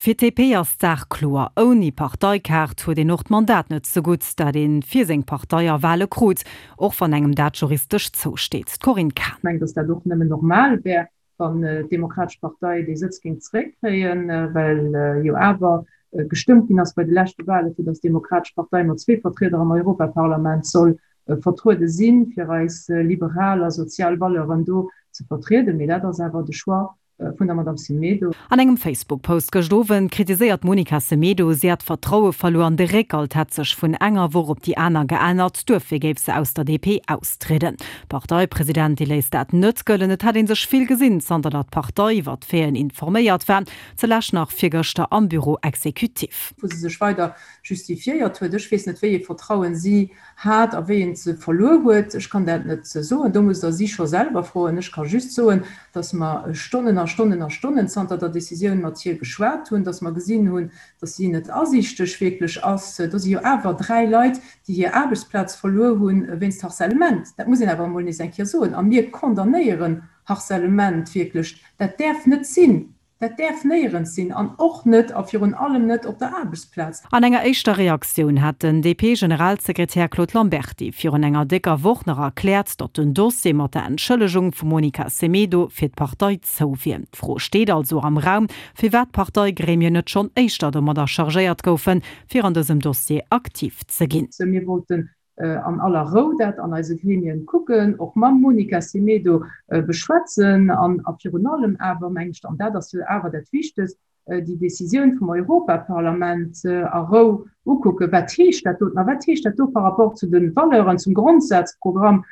Fir d'DP ass d'Saach kloer, Ouni Parteikaart huet een och d'Mandat net zegutt, dat ee fir seng Partei a Wale krut, och wann engem dat juristesch zousteet. D'Corinne Cahen. Ech mengen, datt dat och nëmmen normal wär, wann d'Demokratesch Partei dee Sëtz géing zeréckkréien, well jo awer gestëmmt ginn ass bei de leschte Wale fir datt d'Demokratesch Partei mat zwee Vertrieder am Europaparlament soll vertruede sinn, fir eis liberal a sozial Valeuren do ze vertrieden. Mee dat ass awer de Choix vun der Madame Semedo. An engem Facebook-Post gëscht Owend kritiséiert d'Monica Semedo, si hätt d'Vertraue verluer an de Réckhalt hätt sech vun enger Woch op déi aner geännert, duerfir géif se aus der DP austrieden. D'Parteipresidentin léisst dat net gëllen, et hätt ee sech vill gesinn, zanter datt d'Partei iwwer d'Faiten informéiert war, ze lescht nach virgëschter am Bureau exécutif. Wou se sech weider justifiéiert huet. Ech weess net, wéi ee Vertrauen si hat a wéi een se verluer huet. Ech kann dat net soen, do musst Der si scho selwer froen. Ech ka just soen, dass mer Stonnen a Stonnen a Stonnen zanter der Décisioun mat hir geschwat hunn, dass mer gesinn hunn, dass si net asiichteg wierklech ass. Do si jo awer 3 Leit, déi hir Aarbechtsplaz verluer hu wéinst Harcèlement. Dat muss een awer emol nees eng Kéier soen. A mir condamnéieren Harcèlement wierklech. Dat däerf net sinn. Dat däerf néierens sinn an och net a virun allem net op der Aarbechtsplaz. An enger éischter Reaktioun hat den DP-Generalsekretär Claude Lamberty virun enger décker Woch nach erkläert, datt den Dossier mat der Entschëllegung vum Monica Semedo fir d'Partei zou wier. D'Fro steet also am Raum, firwat d'Parteigremien net schonn éischter domadder chargéiert goufen, fir an dësem Dossier aktiv ze ginn. Mir wollten an aller Rou dat an eise Gremien kucken, och mam Monica Semedo beschwätzen an a virun allem awer, meng ech, an dat ass jo awer dat Wichtegst, déi Décisioun vum Europaparlament a Rou ukucken. Wat heescht dat doten a wat heescht dat do par rapport zu de Valeuren, zum Grondsazprogramm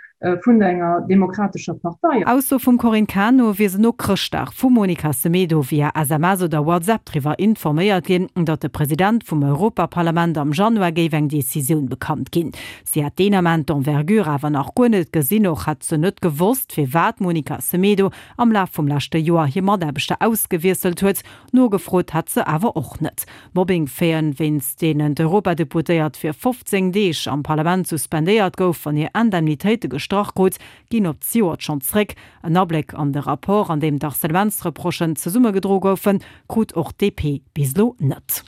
vun enger demokratescher Partei? Ausso vum Corinne Cahen no wier se no Chrëschtdag vum Monica Semedo via SMS oder WhatsApp driwwer informéiert ginn, datt de President vum Europaparlament am Januar géif eng Decisioun bekannt ginn. Si hätt deen Ament d'Envergure awer nach guer net gesinn. Och hätt se net gewosst, firwat d'Monica Semedo am Laf vum leschte Joer hir Mataarbechter ausgewiesselt huet. Nogefrot hätt se awer och net. Mobbing-Faiten, wéinst deenen d'Europadeputéiert fir 15 Deeg am Parlament suspendéiert gouf an hir Indemnitéite gestrach krut, ginn op d'Zejoert schonn zréck. En Abléck an de Rapport, an deem d'Harcèlementsreprochen zesummegedro goufen, krut och d'DP bis elo net.